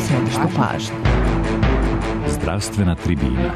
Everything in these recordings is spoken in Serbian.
središtu pažnje. Zdravstvena tribina.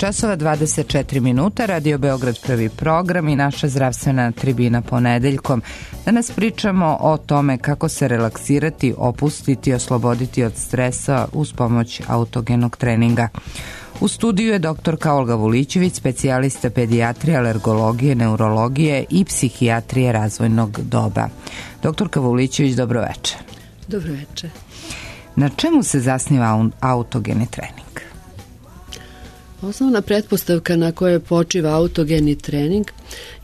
časova 24 minuta, Radio Beograd prvi program i naša zdravstvena tribina ponedeljkom. Danas pričamo o tome kako se relaksirati, opustiti, osloboditi od stresa uz pomoć autogenog treninga. U studiju je doktorka Olga Vulićević, specijalista pedijatrije, alergologije, neurologije i psihijatrije razvojnog doba. Doktorka Vulićević, dobro večer. Dobro večer. Na čemu se zasniva autogeni trening? Osnovna pretpostavka na kojoj počiva autogeni trening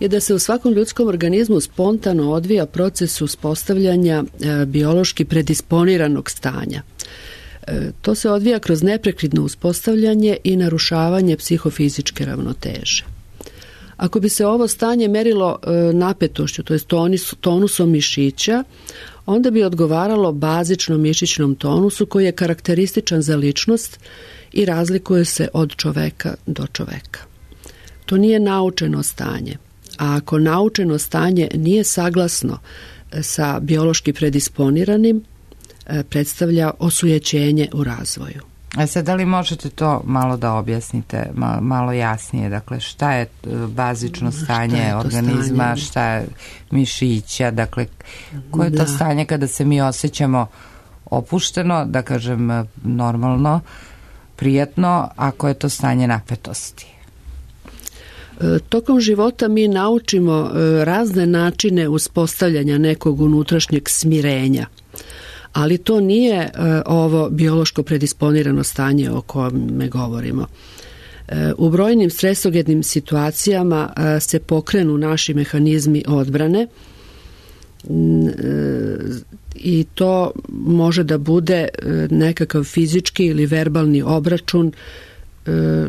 je da se u svakom ljudskom organizmu spontano odvija proces uspostavljanja biološki predisponiranog stanja. To se odvija kroz neprekidno uspostavljanje i narušavanje psihofizičke ravnoteže. Ako bi se ovo stanje merilo napetošću, to je tonusom mišića, onda bi odgovaralo bazičnom mišićnom tonusu koji je karakterističan za ličnost i razlikuje se od čoveka do čoveka. To nije naučeno stanje, a ako naučeno stanje nije saglasno sa biološki predisponiranim, predstavlja osujećenje u razvoju. A sad, da li možete to malo da objasnite, malo jasnije? Dakle, šta je bazično stanje organizma, šta je mišića, dakle, koje je to stanje kada se mi osjećamo opušteno, da kažem normalno, prijatno, ako je to stanje napetosti? Tokom života mi naučimo razne načine uspostavljanja nekog unutrašnjeg smirenja, ali to nije ovo biološko predisponirano stanje o kome govorimo. U brojnim stresogenim situacijama se pokrenu naši mehanizmi odbrane i to može da bude nekakav fizički ili verbalni obračun,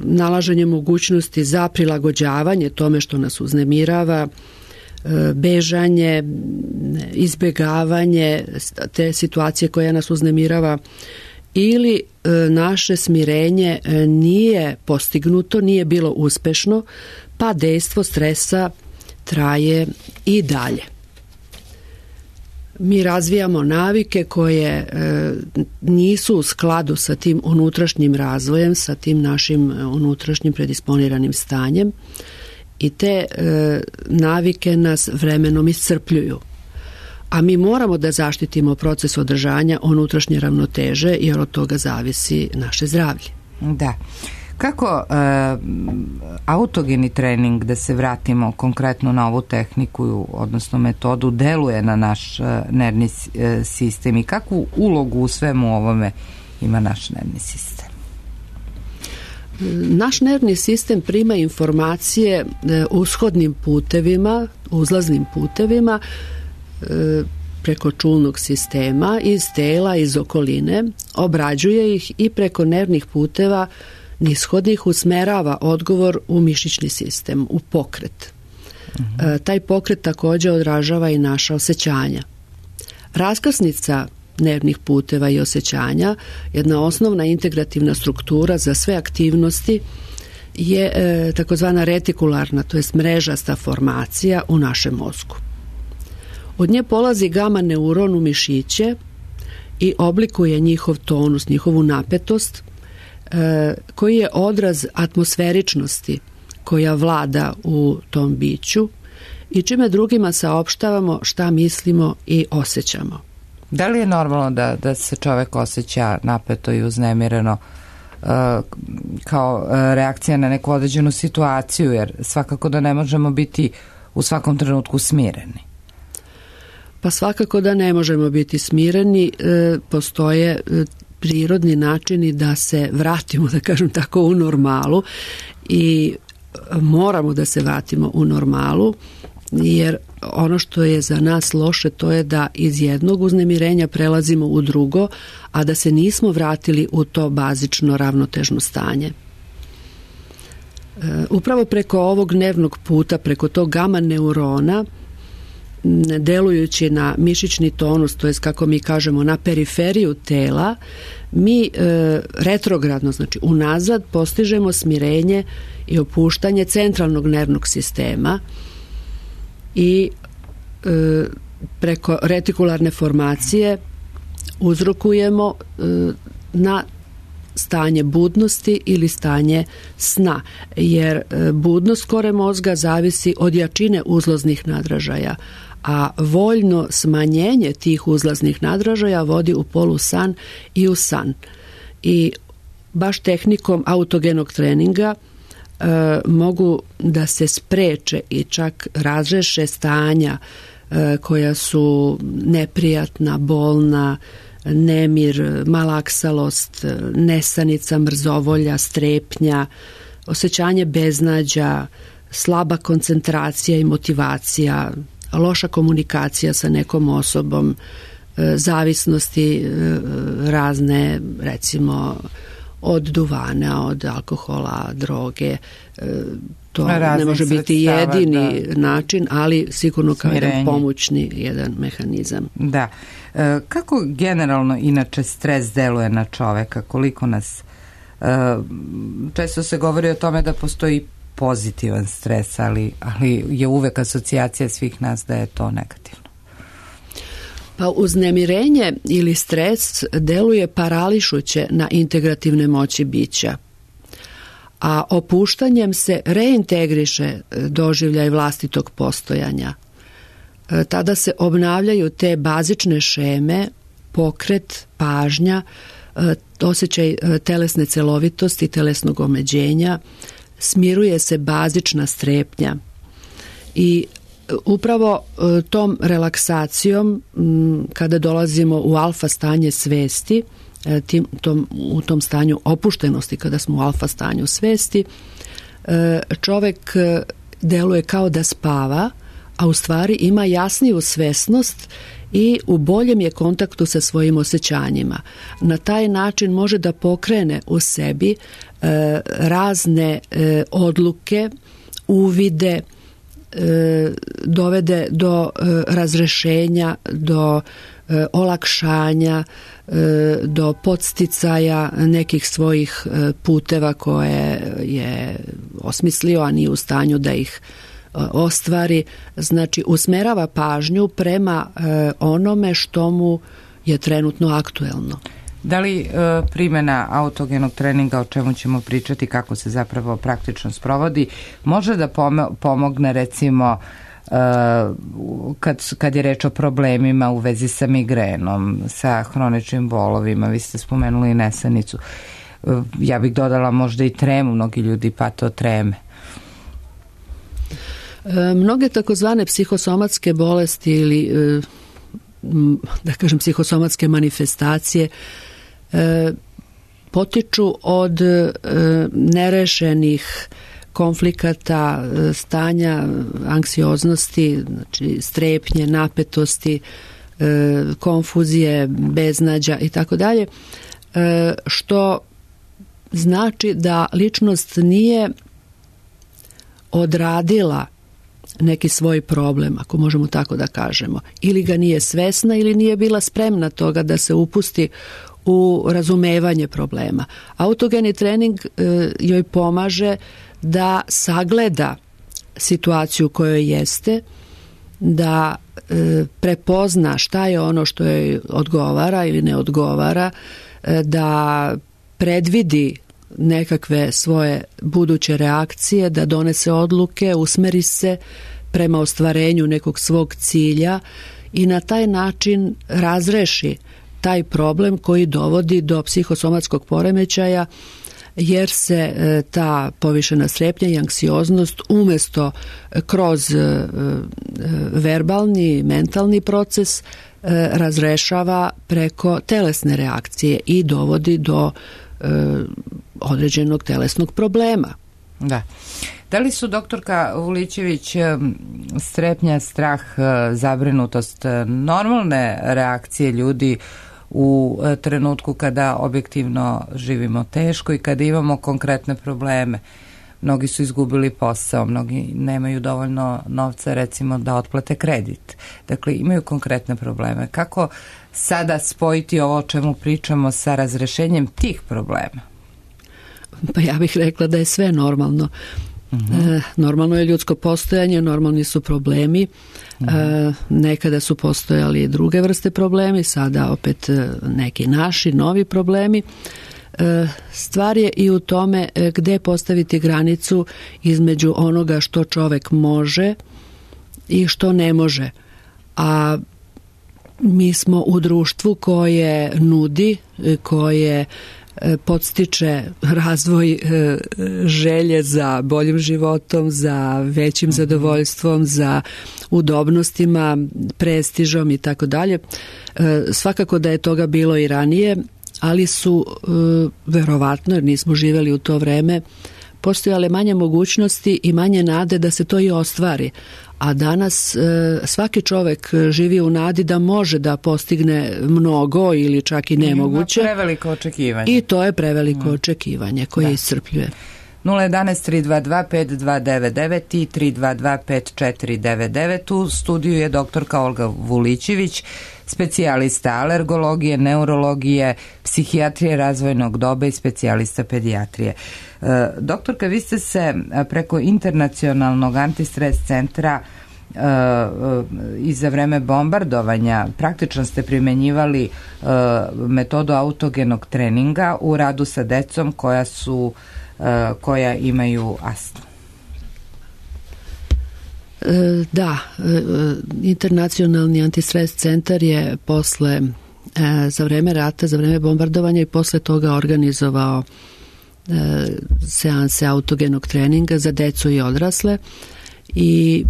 nalaženje mogućnosti za prilagođavanje tome što nas uznemirava, bežanje, izbegavanje te situacije koja nas uznemirava, ili naše smirenje nije postignuto, nije bilo uspešno, pa dejstvo stresa traje i dalje. Mi razvijamo navike koje nisu u skladu sa tim unutrašnjim razvojem, sa tim našim unutrašnjim predisponiranim stanjem i te navike nas vremenom iscrpljuju. A mi moramo da zaštitimo proces održanja unutrašnje ravnoteže jer od toga zavisi naše zdravlje. Da. Kako autogeni trening, da se vratimo konkretno na ovu tehniku, odnosno metodu, deluje na naš nervni sistem i kakvu ulogu u svemu ovome ima naš nervni sistem? Naš nervni sistem prima informacije ushodnim putevima, uzlaznim putevima, preko čulnog sistema, iz tela, iz okoline, obrađuje ih i preko nervnih puteva nishodnih usmerava odgovor u mišićni sistem, u pokret. Taj pokret također odražava i naša osjećanja. Raskrsnica nervnih puteva i osjećanja, jedna osnovna integrativna struktura za sve aktivnosti, je takozvana retikularna, to jest mrežasta formacija u našem mozgu. Od nje polazi gama neuron u mišiće i oblikuje njihov tonus, njihovu napetost, koji je odraz atmosferičnosti koja vlada u tom biću i čime drugima saopštavamo šta mislimo i osjećamo. Da li je normalno da se čovek osjeća napeto i uznemireno kao reakcija na neku određenu situaciju, jer svakako da ne možemo biti u svakom trenutku smireni? Pa svakako da ne možemo biti smireni, postoje prirodni načini da se vratimo, da kažem tako, u normalu i moramo da se vratimo u normalu, jer ono što je za nas loše to je da iz jednog uznemirenja prelazimo u drugo, a da se nismo vratili u to bazično ravnotežno stanje. Upravo preko ovog nervnog puta, preko tog gama neurona, delujući na mišićni tonus, to jest kako mi kažemo na periferiju tela, mi retrogradno, znači unazad, postižemo smirenje i opuštanje centralnog nervnog sistema i preko retikularne formacije uzrokujemo na stanje budnosti ili stanje sna, jer budnost kore mozga zavisi od jačine uzlaznih nadražaja, a voljno smanjenje tih uzlaznih nadražaja vodi u polusan i u san. I baš tehnikom autogenog treninga mogu da se spreče i čak razreše stanja koja su neprijatna, bolna, nemir, malaksalost, nesanica, mrzovolja, strepnja, osjećanje beznađa, slaba koncentracija i motivacija, loša komunikacija sa nekom osobom, zavisnosti razne, recimo od duvana, od alkohola, droge. To ne može biti jedini način, ali sigurno kao jedan pomoćni jedan mehanizam. Da. Kako generalno inače stres deluje na čoveka? Koliko nas... Često se govori o tome da postoji pozitivan stres, ali je uvek asocijacija svih nas da je to negativno. Pa uznemirenje ili stres deluje parališuće na integrativne moći bića, a opuštanjem se reintegriše doživljaj vlastitog postojanja. Tada se obnavljaju te bazične šeme, pokret, pažnja, osjećaj telesne celovitosti, telesnog omeđenja, smiruje se bazična strepnja i upravo tom relaksacijom kada dolazimo u alfa stanje svesti, u tom stanju opuštenosti kada smo u alfa stanju svesti, čovek deluje kao da spava, a u stvari ima jasniju svesnost i u boljem je kontaktu sa svojim osjećanjima. Na taj način može da pokrene u sebi razne odluke, uvide, dovede do razrešenja, do olakšanja, do podsticaja nekih svojih puteva koje je osmislio, a nije u stanju da ih ostvari. Znači, usmerava pažnju prema onome što mu je trenutno aktuelno. Da li primjena autogenog treninga, o čemu ćemo pričati, kako se zapravo praktično sprovodi, može da pomogne recimo kad je reč o problemima u vezi sa migrenom, sa hroničnim bolovima, vi ste spomenuli i nesanicu. Ja bih dodala možda i tremu, mnogi ljudi pate od treme. Mnoge takozvane psihosomatske bolesti ili da kažem psihosomatske manifestacije potiču od nerešenih konflikata, stanja anksioznosti, znači strepnje, napetosti, konfuzije, beznađa i tako dalje, što znači da ličnost nije odradila neki svoj problem, ako možemo tako da kažemo, ili ga nije svesna ili nije bila spremna toga da se upusti u razumevanje problema. Autogeni trening joj pomaže da sagleda situaciju kojoj jeste, da prepozna šta je ono što joj odgovara ili ne odgovara, da predvidi nekakve svoje buduće reakcije, da donese odluke, usmeri se prema ostvarenju nekog svog cilja i na taj način razreši taj problem koji dovodi do psihosomatskog poremećaja, jer se ta povišena strepnja i anksioznost umjesto kroz verbalni, mentalni proces razrešava preko telesne reakcije i dovodi do određenog telesnog problema. Da. Da li su, doktorka Vulićević, strepnja, strah, zabrinutost normalne reakcije ljudi u trenutku kada objektivno živimo teško i kada imamo konkretne probleme? Mnogi su izgubili posao, mnogi nemaju dovoljno novca, recimo, da otplate kredit. Dakle, imaju konkretne probleme. Kako sada spojiti ovo o čemu pričamo sa razrešenjem tih problema? Pa ja bih rekla da je sve normalno. Normalno je ljudsko postojanje, normalni su problemi. Nekada su postojali druge vrste problemi, sada opet neki naši, novi problemi. Stvar je i u tome gde postaviti granicu između onoga što čovek može i što ne može. A mi smo u društvu koje nudi, koje podstiče razvoj želje za boljim životom, za većim zadovoljstvom, za udobnostima, prestižom i tako dalje. Svakako da je toga bilo i ranije, ali su, verovatno, jer nismo živeli u to vreme, postojale manje mogućnosti i manje nade da se to i ostvari. A danas svaki čovek živi u nadi da može da postigne mnogo ili čak i nemoguće. Ima preveliko očekivanje. I to je preveliko očekivanje koje iscrpljuje. 011-322-5299 i 322-5499. U studiju je doktorka Olga Vulićević, specijalista alergologije, neurologije, psihijatrije razvojnog doba i specijalista pedijatrije. Doktorka, vi ste se preko internacionalnog antistres centra i za vreme bombardovanja praktično ste primenjivali metodu autogenog treninga u radu sa decom koja imaju astmu. Da, internacionalni antistres centar je za vreme rata, za vreme bombardovanja i posle toga organizovao seanse autogenog treninga za decu i odrasle i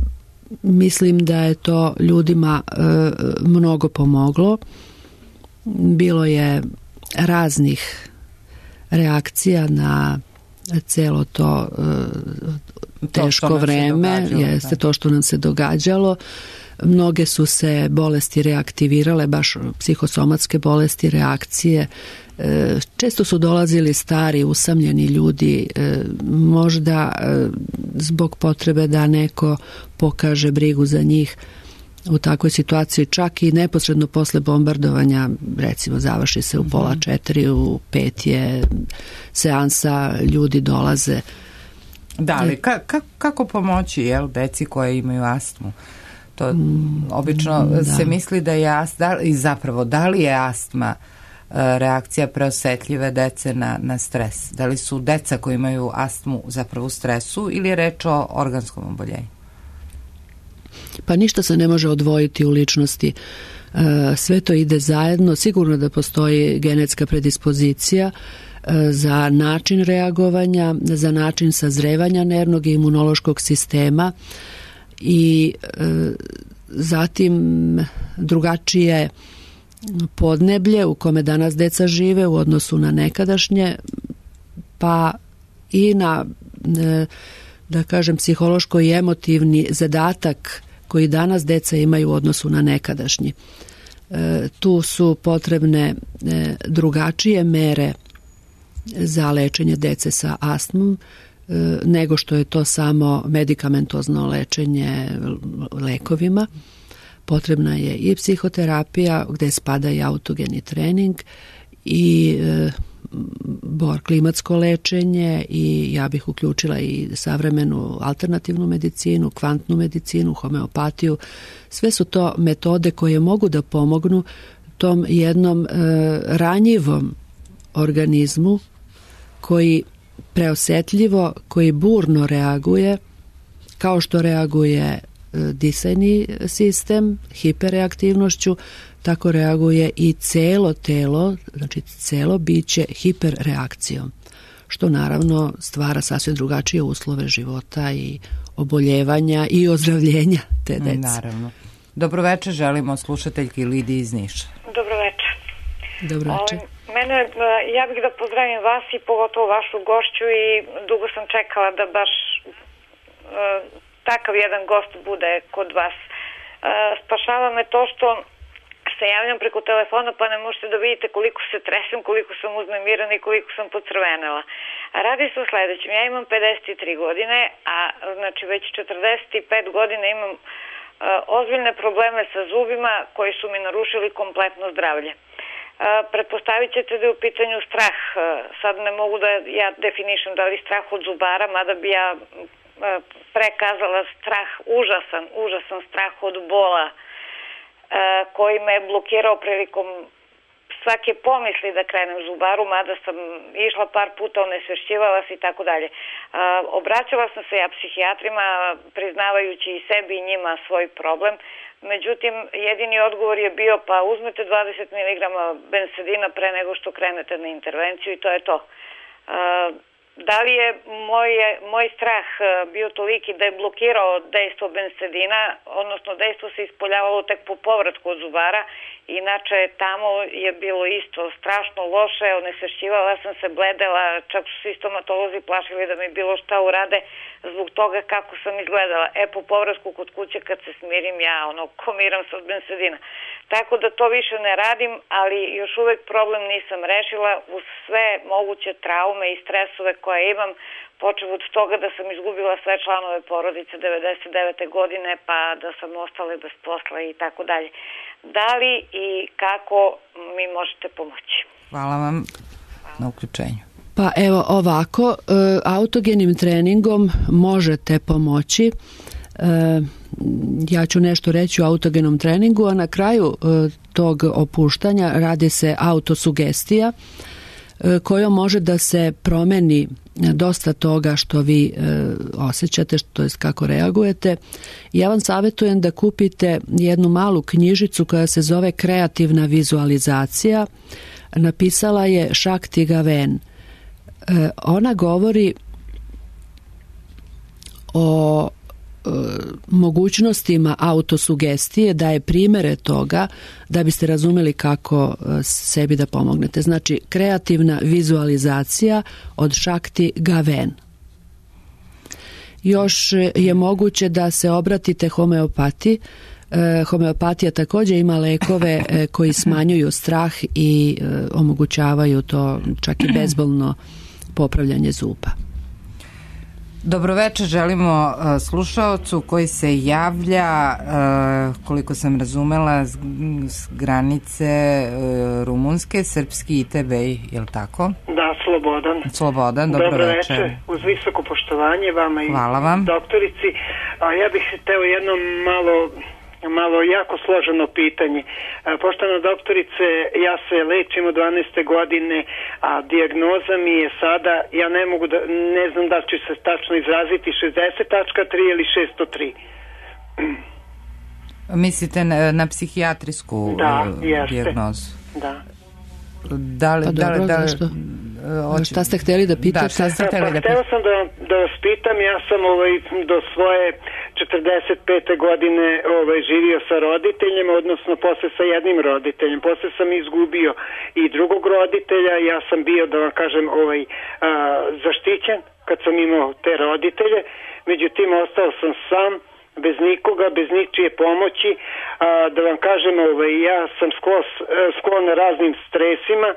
mislim da je to ljudima mnogo pomoglo. Bilo je raznih reakcija na celo to teško vreme, jeste to što nam se događalo. Mnoge su se bolesti reaktivirale, baš psihosomatske bolesti, reakcije. Često su dolazili stari, usamljeni ljudi, možda zbog potrebe da neko pokaže brigu za njih. U takvoj situaciji čak i neposredno posle bombardovanja, recimo završi se u 3:30, u 5 je seansa, ljudi dolaze. Da, ali kako pomoći deci koje imaju astmu? To obično se misli da je astma, i zapravo da li je astma reakcija preosetljive dece na stres? Da li su deca koji imaju astmu zapravo u stresu ili je reč o organskom oboljenju? Pa ništa se ne može odvojiti u ličnosti. Sve to ide zajedno. Sigurno da postoji genetska predispozicija za način reagovanja, za način sazrevanja nervnog i imunološkog sistema i zatim drugačije podneblje u kome danas deca žive u odnosu na nekadašnje, pa i na, da kažem, psihološko i emotivni zadatak koji danas deca imaju u odnosu na nekadašnji. Tu su potrebne drugačije mere za lečenje dece sa astmom nego što je to samo medikamentozno lečenje lekovima. Potrebna je i psihoterapija gde spada i autogeni trening i klimatsko lečenje i ja bih uključila i savremenu alternativnu medicinu, kvantnu medicinu, homeopatiju. Sve su to metode koje mogu da pomognu tom jednom ranjivom organizmu koji preosetljivo, koji burno reaguje, kao što reaguje disajni sistem hiperreaktivnošću, tako reaguje i celo telo, znači celo biće hiperreakcijom, što naravno stvara sasvim drugačije uslove života i oboljevanja i ozdravljenja te dece. Naravno. Dobroveče, želimo slušateljki Lidiji iz Niša. Dobroveče. Dobroveče. Ja bih da pozdravim vas i pogotovo vašu gošću i dugo sam čekala da baš takav jedan gost bude kod vas. Spašava me to što se javljam preko telefona pa ne možete da vidite koliko se tresem, koliko sam uznemirana i koliko sam pocrvenela. Radi se o sledećem. Ja imam 53 godine, a znači već 45 godina imam ozbiljne probleme sa zubima koji su mi narušili kompletno zdravlje. Pretpostavit ćete da je u pitanju strah. Sad ne mogu da ja definišem da li strah od zubara, mada bi ja prekazala strah, užasan strah od bola koji me je blokirao prilikom svake pomisli da krenem zubaru, mada sam išla par puta, onesvešćivala se i tako dalje. Obraćala sam se ja psihijatrima, priznavajući i sebi i njima svoj problem. Međutim, jedini odgovor je bio pa uzmete 20 mg bensedina pre nego što krenete na intervenciju i to je to. Da li je moj strah bio toliki da je blokirao dejstvo bensedina, odnosno dejstvo se ispoljavalo tek po povratku od zubara, inače tamo je bilo isto strašno loše, onesvešćivala sam se, bledela, čak su svi stomatolozi plašili da mi bilo šta urade zbog toga kako sam izgledala. Po povratku kod kuće kad se smirim ja komiram se od bensedina. Tako da to više ne radim, ali još uvek problem nisam rešila uz sve moguće traume i stresove koje imam, počev od toga da sam izgubila sve članove porodice 99. godine, pa da sam ostala bez posla i tako dalje. Da li i kako mi možete pomoći? Hvala vam na uključenju. Pa evo ovako, autogenim treningom možete pomoći. Ja ću nešto reći o autogenom treningu, a na kraju tog opuštanja radi se autosugestija kojom može da se promeni dosta toga što vi osjećate, to jest kako reagujete. Ja vam savjetujem da kupite jednu malu knjižicu koja se zove Kreativna vizualizacija. Napisala je Shakti Gawain. Ona govori o mogućnostima autosugestije, daje primere toga da biste razumeli kako sebi da pomognete. Znači, kreativna vizualizacija od Shakti Gawain. Još je moguće da se obratite homeopatiji. Homeopatija također ima lekove koji smanjuju strah i omogućavaju to čak i bezbolno popravljanje zuba. Dobroveče želimo slušaocu koji se javlja, koliko sam razumela, s granice rumunske, srpski ITB, je li tako? Da, Slobodan, dobroveče. Uz visoko poštovanje vama i hvala vam. Doktorici. Ja bih hteo jedno malo jako složeno pitanje. Poštovana doktorice, ja se lečim od 12. godine, a dijagnoza mi je sada, ja ne znam da ću se tačno izraziti, 60.3 ili 603. Mislite na psihijatrijsku dijagnozu? Da. Šta ste htjeli da pitate? Htio sam da vas pitam, ja sam do svoje 45. godine živio sa roditeljima, odnosno posle sa jednim roditeljem. Posle sam izgubio i drugog roditelja, ja sam bio, da vam kažem, zaštićen kad sam imao te roditelje, međutim ostao sam sam, bez nikoga, bez ničije pomoći, da vam kažem, ja sam sklon raznim stresima,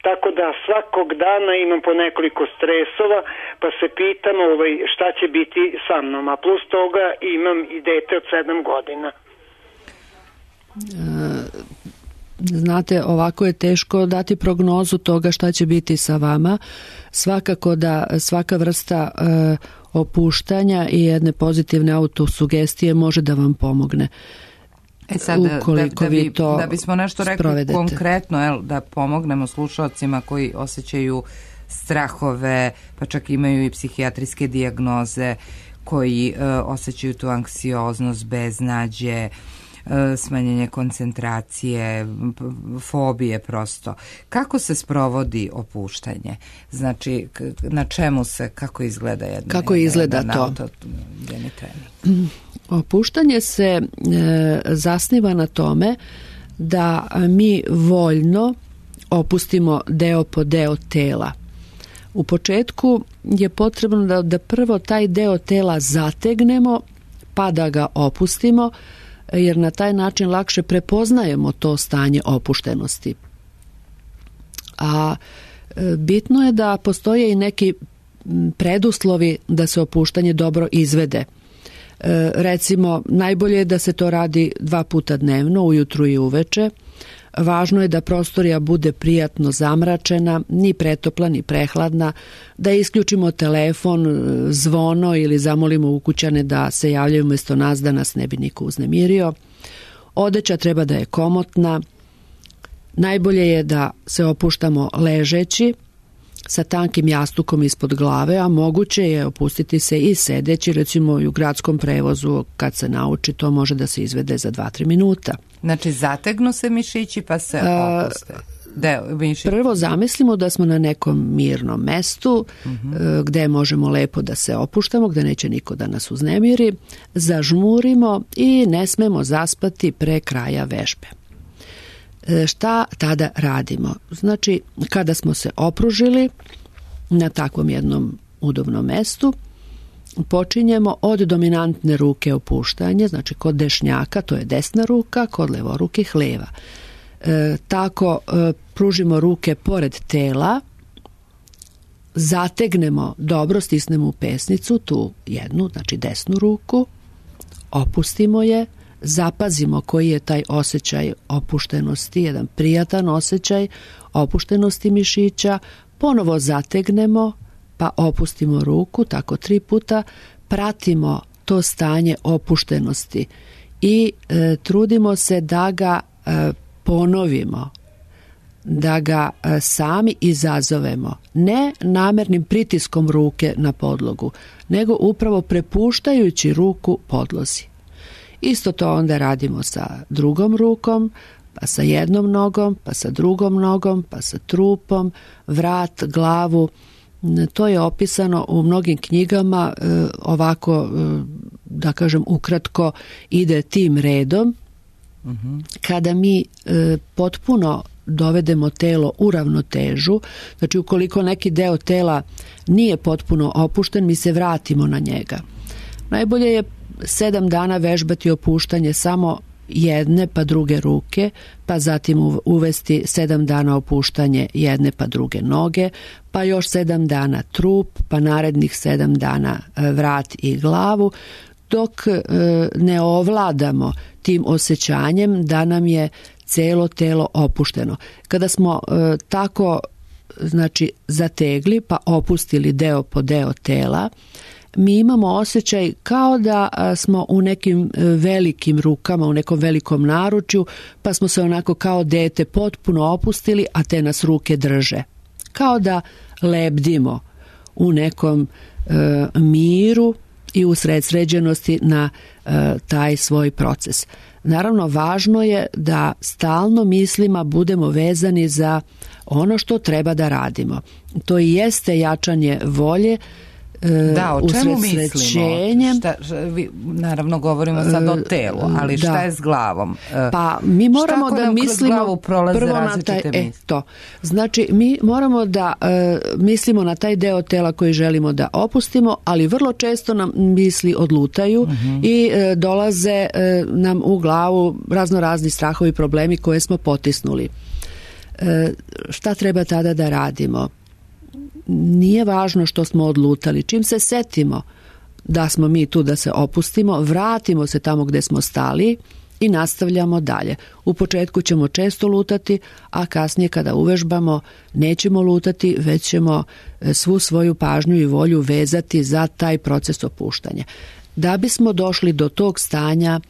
tako da svakog dana imam po nekoliko stresova, pa se pitam šta će biti sa mnom, a plus toga imam i dete od 7 godina. Znate, ovako je teško dati prognozu toga šta će biti sa vama. Svakako da svaka vrsta opuštanja i jedne pozitivne autosugestije može da vam pomogne. Sad, da bismo nešto rekli konkretno, da pomognemo slušalcima koji osjećaju strahove, pa čak imaju i psihijatrijske dijagnoze, koji osjećaju tu anksioznost, beznađe, smanjenje koncentracije, fobije prosto. Kako se sprovodi opuštanje? Znači, na čemu se, kako izgleda to? Opuštanje se zasniva na tome da mi voljno opustimo deo po deo tela. U početku je potrebno da prvo taj deo tela zategnemo pa da ga opustimo, jer na taj način lakše prepoznajemo to stanje opuštenosti. A bitno je da postoje i neki preduslovi da se opuštanje dobro izvede. Recimo, najbolje je da se to radi 2 puta dnevno, ujutru i uveče. Važno je da prostorija bude prijatno zamračena, ni pretopla, ni prehladna, da isključimo telefon, zvono ili zamolimo ukućane da se javljaju umjesto nas da nas ne bi niko uznemirio. Odeća treba da je komotna. Najbolje je da se opuštamo ležeći, sa tankim jastukom ispod glave, a moguće je opustiti se i sedeći, recimo i u gradskom prevozu, kad se nauči, to može da se izvede za 2-3 minuta. Znači, zategnu se mišići pa se opuste. Prvo zamislimo da smo na nekom mirnom mestu, gde možemo lepo da se opuštamo, gde neće niko da nas uznemiri, zažmurimo i ne smemo zaspati pre kraja vežbe. Šta tada radimo? Znači, kada smo se opružili na takvom jednom udobnom mestu, počinjemo od dominantne ruke opuštanje, znači kod dešnjaka, to je desna ruka, kod levorukih leva. Tako pružimo ruke pored tela, zategnemo dobro, stisnemo u pesnicu, tu jednu, znači desnu ruku, opustimo je, zapazimo koji je taj osjećaj opuštenosti, jedan prijatan osjećaj opuštenosti mišića, ponovo zategnemo, pa opustimo ruku, tako 3 puta, pratimo to stanje opuštenosti i trudimo se da ga ponovimo, da ga sami izazovemo, ne namernim pritiskom ruke na podlogu, nego upravo prepuštajući ruku podlozi. Isto to onda radimo sa drugom rukom, pa sa jednom nogom, pa sa drugom nogom, pa sa trupom, vrat, glavu. To je opisano u mnogim knjigama, ovako, da kažem, ukratko ide tim redom. Kada mi potpuno dovedemo telo u ravnotežu, znači ukoliko neki deo tela nije potpuno opušten, mi se vratimo na njega. Najbolje je 7 dana vežbati opuštanje samo jedne pa druge ruke, pa zatim uvesti 7 dana opuštanje jedne pa druge noge, pa još 7 dana trup, pa narednih 7 dana vrat i glavu, dok ne ovladamo tim osjećanjem da nam je celo telo opušteno. Kada smo tako, znači, zategli pa opustili deo po deo tela, mi imamo osjećaj kao da smo u nekim velikim rukama, u nekom velikom naručju, pa smo se onako kao dete potpuno opustili, a te nas ruke drže. Kao da lebdimo u nekom miru i usredsređenosti na taj svoj proces. Naravno, važno je da stalno mislima budemo vezani za ono što treba da radimo. To i jeste jačanje volje, da, o čemu mislimo? Naravno govorimo sad o telu, ali šta je s glavom? Pa mi moramo da mislimo prvo na taj Znači mi moramo da mislimo na taj deo tela koji želimo da opustimo, ali vrlo često nam misli odlutaju i dolaze nam u glavu raznorazni strahovi, problemi koje smo potisnuli. Šta treba tada da radimo? Nije važno što smo odlutali. Čim se setimo da smo mi tu da se opustimo, vratimo se tamo gde smo stali i nastavljamo dalje. U početku ćemo često lutati, a kasnije kada uvežbamo nećemo lutati, već ćemo svu svoju pažnju i volju vezati za taj proces opuštanja. Da bismo došli do tog stanja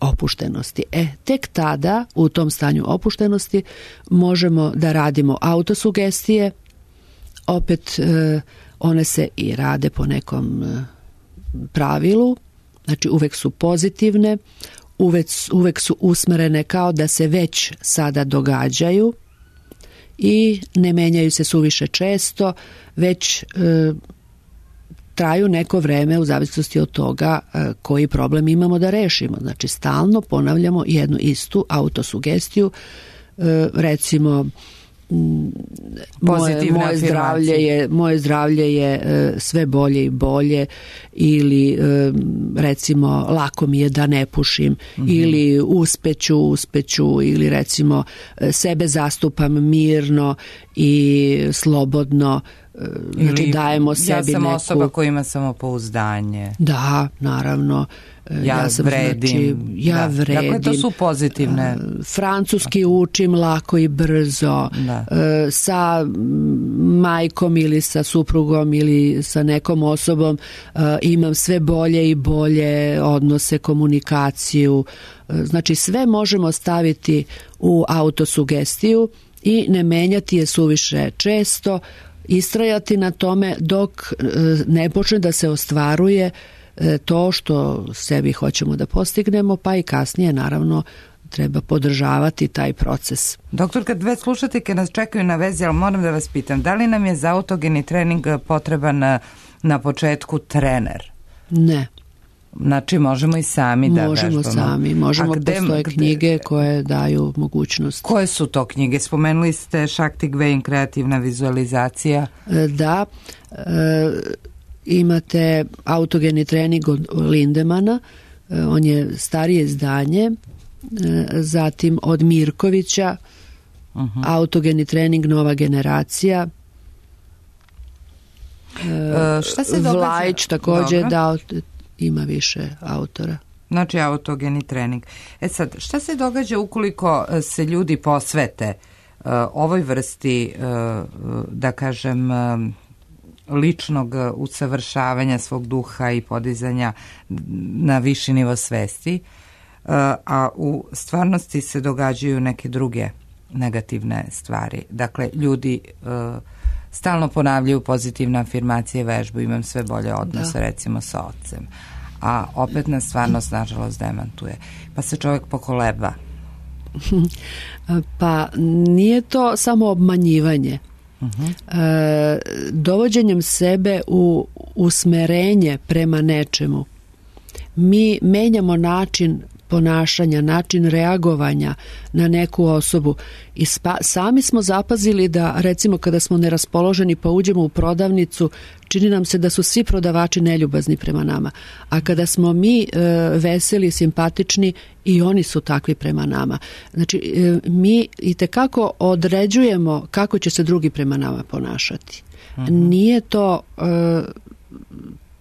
opuštenosti. Tek tada, u tom stanju opuštenosti, možemo da radimo autosugestije. Opet one se i rade po nekom pravilu, znači uvek su pozitivne, uvek su usmerene kao da se već sada događaju i ne menjaju se suviše često, već traju neko vreme u zavisnosti od toga koji problem imamo da rešimo. Znači stalno ponavljamo jednu istu autosugestiju, recimo moje zdravlje je sve bolje i bolje, ili recimo lako mi je da ne pušim, ili uspeću, ili recimo sebe zastupam mirno i slobodno, znači dajemo sebi neku... Ja sam osoba koja ima samopouzdanje. Da, naravno. Ja vredim. Dakle, to su pozitivne. Francuski učim lako i brzo. Sa majkom ili sa suprugom ili sa nekom osobom imam sve bolje i bolje odnose, komunikaciju. Znači sve možemo staviti u autosugestiju i ne menjati je suviše često, istrajati na tome dok ne počne da se ostvaruje to što sebi hoćemo da postignemo, pa i kasnije naravno treba podržavati taj proces. Doktor, kad dve slušateljke nas čekaju na vezi, ali moram da vas pitam, da li nam je za autogeni trening potreban na početku trener? Ne. Znači možemo i sami da vežbamo. Možemo sami, postoje knjige koje daju mogućnost. Koje su to knjige? Spomenuli ste Shakti Gvein, kreativna vizualizacija. Da, imate autogeni trening od Lindemana, on je starije izdanje, zatim od Mirkovića, autogeni trening nova generacija, šta se događa? Vlajić također dao, ima više autora. Znači autogeni trening. Sad, šta se događa ukoliko se ljudi posvete ovoj vrsti, da kažem, ličnog usavršavanja svog duha i podizanja na viši nivo svesti, a u stvarnosti se događaju neke druge negativne stvari. Dakle, ljudi stalno ponavljaju pozitivne afirmacije, vežbu, imam sve bolje odnose, recimo sa ocem. A opet nas stvarnost, nažalost, demantuje. Pa se čovjek pokoleba. Pa nije to samo obmanjivanje. Dovođenjem sebe u usmerenje prema nečemu mi menjamo način ponašanja, način reagovanja na neku osobu i sami smo zapazili da recimo kada smo neraspoloženi pa uđemo u prodavnicu, čini nam se da su svi prodavači neljubazni prema nama, a kada smo mi veseli, simpatični, i oni su takvi prema nama. Znači mi itekako određujemo kako će se drugi prema nama ponašati. Nije to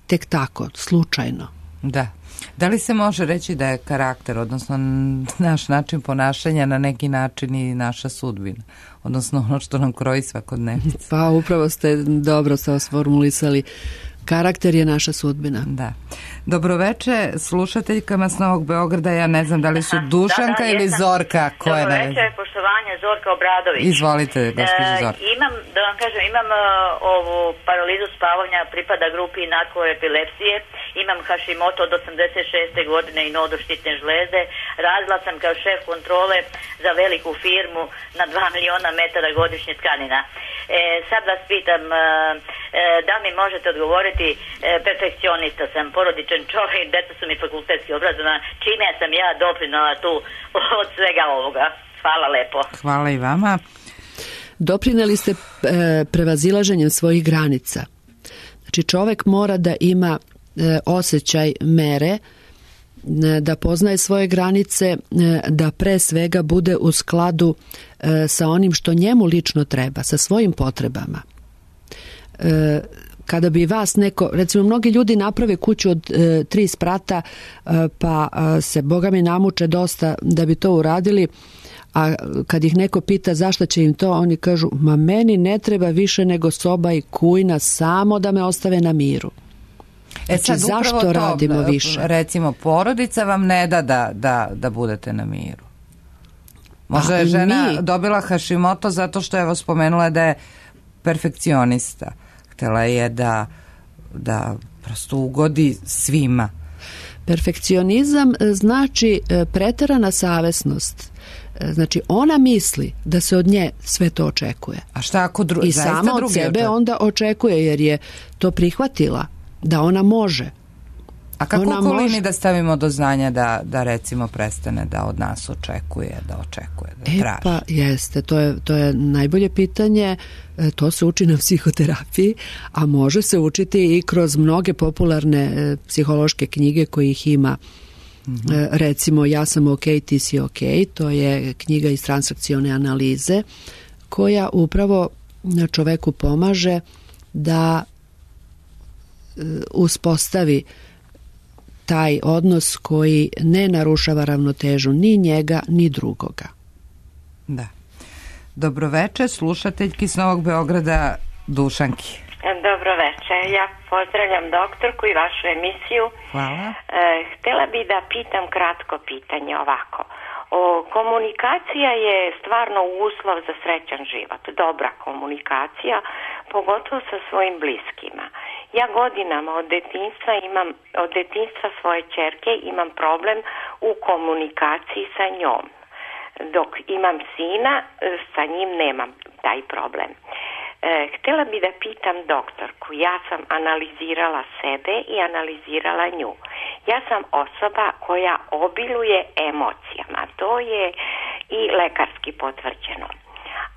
tek tako, slučajno. Da. Da li se može reći da je karakter, odnosno naš način ponašanja na neki način i naša sudbina, odnosno ono što nam kroji svakodnevnicu? Pa upravo ste dobro se osformulisali. Karakter je naša sudbina. Da. Dobroveče slušateljkama s Novog Beograda, ja ne znam da li su Dušanka ili Zorka. Dobroveče, poštovanje, Zorka Obradović. Izvolite, gospođo Zorka. Imam ovu paralizu spavanja, pripada grupi narkoepilepsije, imam Hashimoto od 86. godine i nodoštitne žlezde, radila sam kao šef kontrole za veliku firmu na 2 miliona metara godišnje tkanina. Sad vas pitam, da mi možete odgovoriti, perfekcionista sam, porodičan čovjek, djeca su mi fakultetski obrazovana, čime sam ja doprinala tu od svega ovoga. Hvala lepo. Hvala i vama. Doprineli ste prevazilaženjem svojih granica. Znači čovjek mora da ima osjećaj mere, da poznaje svoje granice, da pre svega bude u skladu sa onim što njemu lično treba, sa svojim potrebama. Kada bi vas neko, recimo mnogi ljudi naprave kuću od 3 sprata pa se Boga mi namuče dosta da bi to uradili, a kad ih neko pita zašto će im to, oni kažu, ma meni ne treba više nego soba i kujna, samo da me ostave na miru. Sad zašto to radimo više? Recimo, porodica vam ne da budete na miru. Možda je žena dobila Hashimoto zato što je spomenula da je perfekcionista. Htjela je da prosto ugodi svima. Perfekcionizam znači preterana savesnost. Znači ona misli da se od nje sve to očekuje. A šta ako i sama od sebe onda očekuje, jer je to prihvatila da ona može. A kako okolini da stavimo do znanja da recimo prestane da od nas očekuje, da traži? Pa jeste, to je najbolje pitanje. To se uči na psihoterapiji, a može se učiti i kroz mnoge popularne psihološke knjige kojih ima. Recimo Ja sam ok, ti si ok, to je knjiga iz transakcione analize koja upravo čoveku pomaže da uspostavi taj odnos koji ne narušava ravnotežu ni njega ni drugoga. Da. Dobroveče, slušateljki s Novog Beograda, Dušanki. Dobroveče, ja pozdravljam doktorku i vašu emisiju. Hvala. Htjela bi da pitam kratko pitanje ovako. Komunikacija je stvarno uslov za srećan život, dobra komunikacija, pogotovo sa svojim bliskima. Ja godinama od detinjstva svoje ćerke imam problem u komunikaciji sa njom. Dok imam sina, sa njim nemam taj problem. Htjela bi da pitam doktorku, ja sam analizirala sebe i analizirala nju. Ja sam osoba koja obiluje emocijama, to je i lekarski potvrđeno.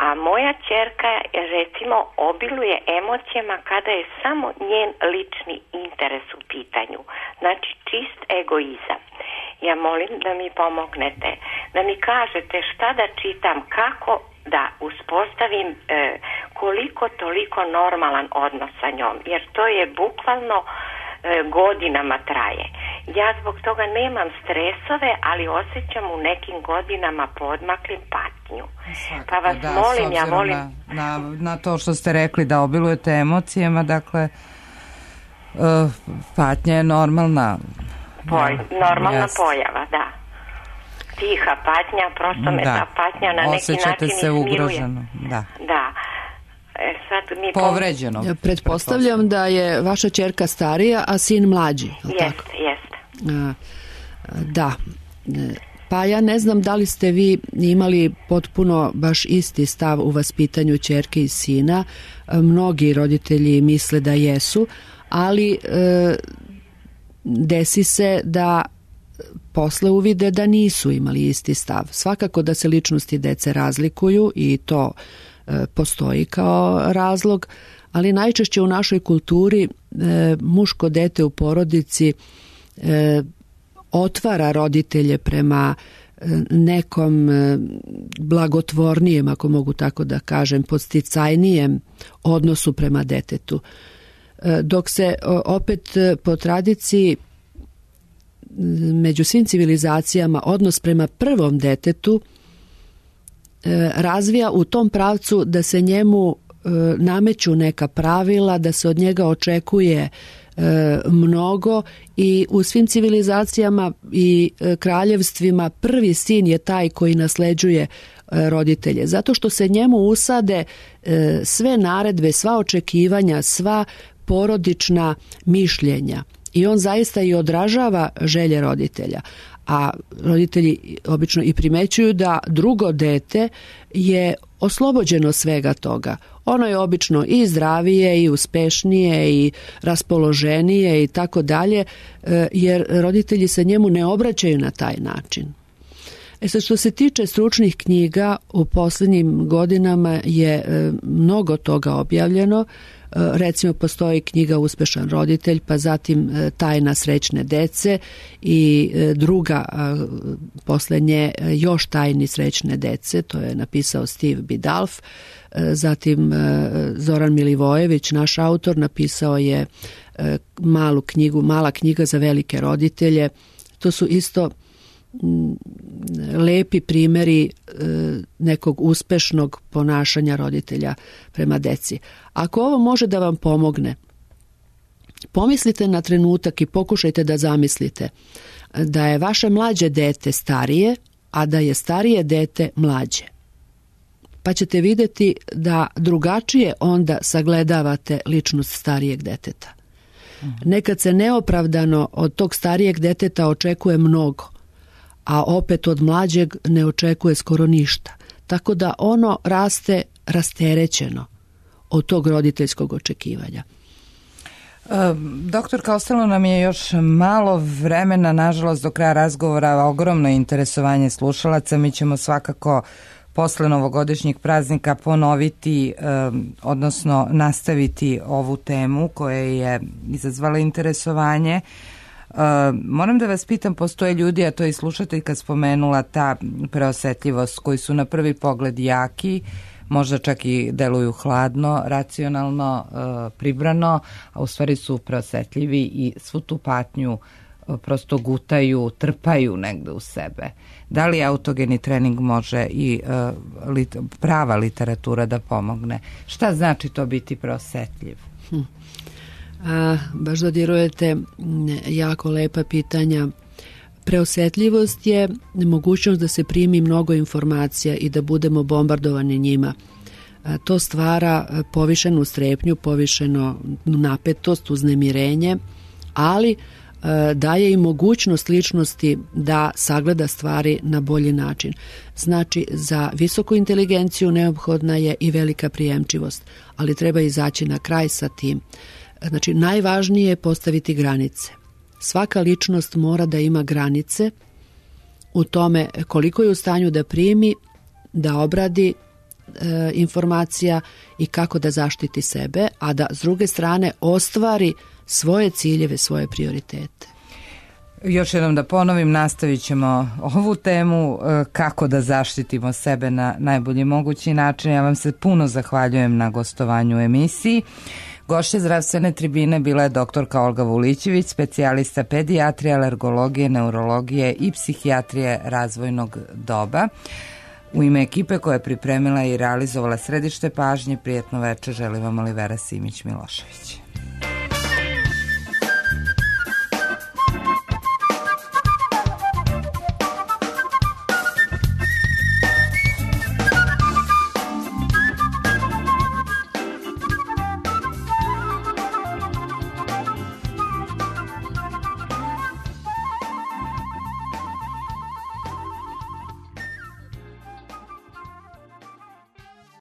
A moja ćerka recimo obiluje emocijama kada je samo njen lični interes u pitanju, znači čist egoizam. Ja molim da mi pomognete, da mi kažete šta da čitam, kako da uspostavim koliko toliko normalan odnos sa njom, jer to je bukvalno godinama traje. Ja zbog toga nemam stresove, ali osjećam u nekim godinama poodmaklim patnju. Pa vas molim, ja molim... Na to što ste rekli da obilujete emocijama, dakle, patnja je normalna. Normalna pojava, da. Tiha patnja, prosto me ta patnja na neki način se ugroženo, da. Sad mi povređeno. Pretpostavljam da je vaša ćerka starija, a sin mlađi. Jeste. Da. Pa ja ne znam da li ste vi imali potpuno baš isti stav u vaspitanju ćerke i sina. Mnogi roditelji misle da jesu, ali desi se da posle uvide da nisu imali isti stav. Svakako da se ličnosti dece razlikuju i to postoji kao razlog, ali najčešće u našoj kulturi muško dete u porodici otvara roditelje prema nekom blagotvornijem, ako mogu tako da kažem, podsticajnijem odnosu prema detetu. Dok se opet po tradiciji među svim civilizacijama odnos prema prvom detetu razvija u tom pravcu da se njemu nameću neka pravila, da se od njega očekuje mnogo i u svim civilizacijama i kraljevstvima prvi sin je taj koji nasleđuje roditelje, zato što se njemu usade sve naredbe, sva očekivanja, sva porodična mišljenja i on zaista i odražava želje roditelja. A roditelji obično i primećuju da drugo dete je oslobođeno svega toga. Ono je obično i zdravije i uspešnije i raspoloženije i tako dalje, jer roditelji se njemu ne obraćaju na taj način. Sad, što se tiče stručnih knjiga, u posljednjim godinama je mnogo toga objavljeno. Recimo, postoji knjiga Uspešan roditelj, pa zatim Tajna srećne dece i druga posle nje Još tajni srećne dece, to je napisao Steve Bidalf. Zatim Zoran Milivojević, naš autor, napisao je Mala knjiga za velike roditelje. To su isto lepi primjeri nekog uspešnog ponašanja roditelja prema deci. Ako ovo može da vam pomogne, pomislite na trenutak i pokušajte da zamislite da je vaše mlađe dete starije, a da je starije dete mlađe. Pa ćete vidjeti da drugačije onda sagledavate ličnost starijeg deteta. Nekad se neopravdano od tog starijeg deteta očekuje mnogo, a opet od mlađeg ne očekuje skoro ništa. Tako da ono raste rasterećeno od tog roditeljskog očekivanja. Doktorka, ostalo nam je još malo vremena, nažalost do kraja razgovora, ogromno interesovanje slušalaca. Mi ćemo svakako posle novogodišnjih praznika ponoviti, odnosno nastaviti ovu temu koja je izazvala interesovanje. Moram da vas pitam, postoje ljudi, a to je i slušateljka spomenula, ta preosetljivost, koji su na prvi pogled jaki, možda čak i deluju hladno, racionalno, pribrano, a u stvari su preosetljivi i svu tu patnju prosto gutaju, trpaju negde u sebe. Da li autogeni trening može i prava literatura da pomogne? Šta znači to biti preosetljiv? Baš dodirujete jako lepa pitanja. Preosetljivost je mogućnost da se primi mnogo informacija i da budemo bombardovani njima. To stvara povišenu strepnju, povišenu napetost, uznemirenje, ali daje i mogućnost ličnosti da sagleda stvari na bolji način. Znači, za visoku inteligenciju neophodna je i velika prijemčivost, ali treba izaći na kraj sa tim. Znači, najvažnije je postaviti granice. Svaka ličnost mora da ima granice u tome koliko je u stanju da primi, da obradi informacija i kako da zaštiti sebe, a da s druge strane ostvari svoje ciljeve, svoje prioritete. Još jednom da ponovim, nastavit ćemo ovu temu kako da zaštitimo sebe na najbolji mogući način. Ja vam se puno zahvaljujem na gostovanju u emisiji. Gošća zdravstvene tribine bila je doktorka Olga Vulićević, specijalista pedijatrije, alergologije, neurologije i psihijatrije razvojnog doba. U ime ekipe koja je pripremila i realizovala središte pažnje, prijetno večer želi vam Olivera Simić-Milošević.